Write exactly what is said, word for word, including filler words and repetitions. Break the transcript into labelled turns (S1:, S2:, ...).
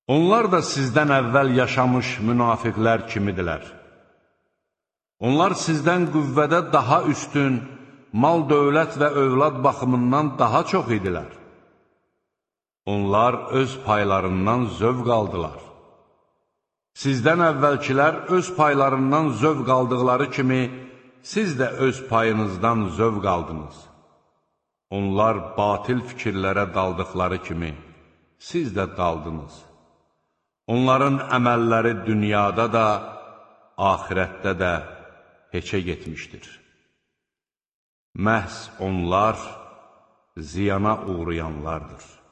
S1: Onlar da sizdən əvvəl yaşamış münafiqlər kimidirlər. Onlar sizdən qüvvədə daha üstün, mal, dövlət və övlad baxımından daha çox idilər. Onlar öz paylarından zövq aldılar. Sizdən əvvəlkilər öz paylarından zövq aldıqları kimi, siz də öz payınızdan zövq aldınız. Onlar batil fikirlərə daldıqları kimi, siz də daldınız. Onların əməlləri dünyada da, axirətdə də heçə getmişdir. Məhz onlar ziyana uğrayanlardır.